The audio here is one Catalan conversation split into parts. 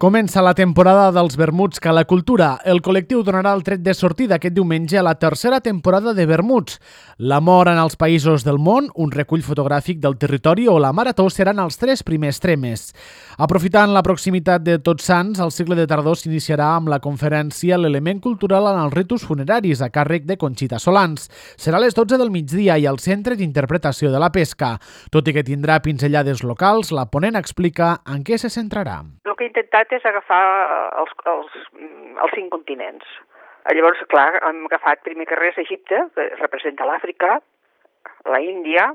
Comença la temporada dels vermuts Cala Cultura. El col·lectiu donarà el tret de sortida aquest diumenge a la tercera temporada de vermuts. L'amor en els països del món, un recull fotogràfic del territori o la marató seran els tres primers temes. Aprofitant la proximitat de Tots Sants, el cicle de tardor s'iniciarà amb la conferència L'element cultural en els ritus funeraris a càrrec de Conxita Solans. Serà a les 12 del migdia i al Centre d'Interpretació de la Pesca. Tot i que tindrà pinzellades locals, la ponent explica en què se centrarà. El que he intentat és agafar els 5 continents. Llavors, clar, hem agafat primer que res Egipte, que representa l'Àfrica, la Índia,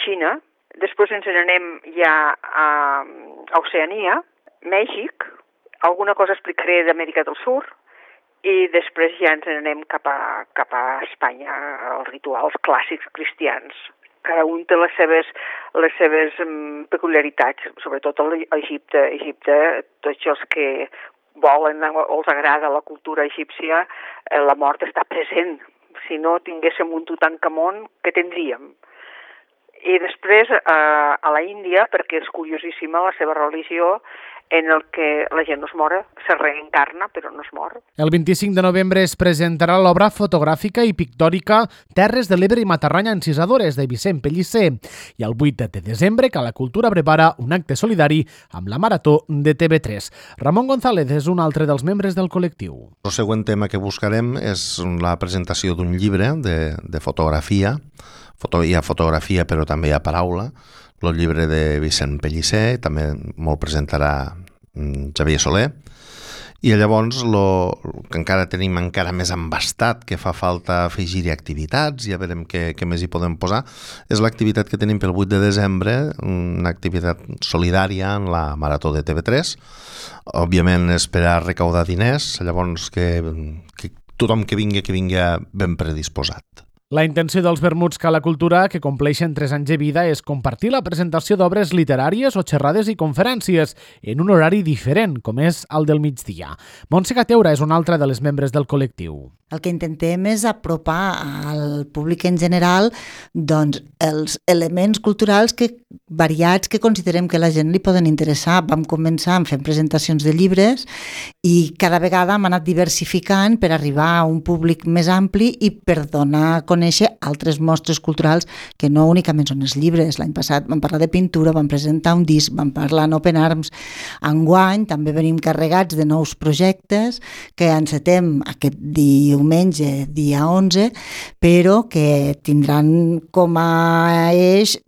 Xina, després ens n'anem ja a Oceania, Mèxic, alguna cosa explicaré d'Amèrica del Sud, i després ja ens n'anem cap a Espanya, els rituals clàssics cristians. Cada un té les seves peculiaritats, sobretot a Egipte. Egipte, tots els que volen o els agrada la cultura egípcia, la mort està present. Si no tinguéssim un Tutankamon, què tindríem? I després a la Índia, perquè és curiosíssima la seva religió, en el que la gent no es mor, se reencarna però no es mor. El 25 de novembre es presentarà l'obra fotogràfica i pictòrica Terres de l'Ebre i Matarranya encisadores de Vicent Pellicer i el 8 de desembre Cala Cultura prepara un acte solidari amb la Marató de TV3. Ramon González és un altre dels membres del col·lectiu. El següent tema que buscarem és la presentació d'un llibre de fotografia. Hi ha fotografia però també hi ha paraula. El llibre de Vicent Pellicer, també molt presentarà Xavier Soler. I llavors, que encara tenim encara més embastat, que fa falta afegir-hi activitats, ja veurem què més hi podem posar, és l'activitat que tenim pel 8 de desembre, una activitat solidària en la Marató de TV3. Òbviament és per a recaudar diners, llavors que tothom que vingui ben predisposat. La intenció dels vermuts Cala Cultura, que compleixen 3 anys de vida, és compartir la presentació d'obres literàries o xerrades i conferències en un horari diferent, com és el del migdia. Montse Cateura és una altra de les membres del col·lectiu. El que intentem és apropar al públic en general els elements culturals variats que considerem que a la gent li poden interessar. Vam començar fent presentacions de llibres i cada vegada hem anat diversificant per arribar a un públic més ampli i per donar a conèixer altres mostres culturals que no únicament són els llibres. L'any passat vam parlar de pintura, vam presentar un disc, vam parlar en Open Arms. Enguany també venim carregats de nous projectes que encetem aquest diumenge, dia 11, però que tindran com a eix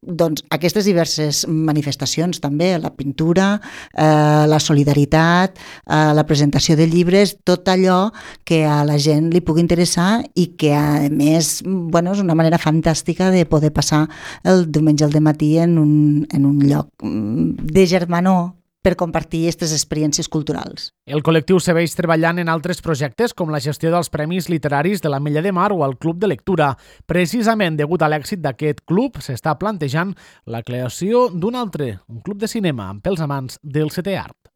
aquestes diverses manifestacions també, la pintura, la solidaritat, la presentació de llibres, tot allò que a la gent li pugui interessar i que a més és una manera fantàstica de poder passar el diumenge al dematí en un lloc de germanor per compartir aquestes experiències culturals. El col·lectiu segueix treballant en altres projectes com la gestió dels Premis Literaris de l'Ametlla de Mar o el Club de Lectura. Precisament degut a l'èxit d'aquest club, s'està plantejant la creació d'un altre, un club de cinema, pels amants del setè art.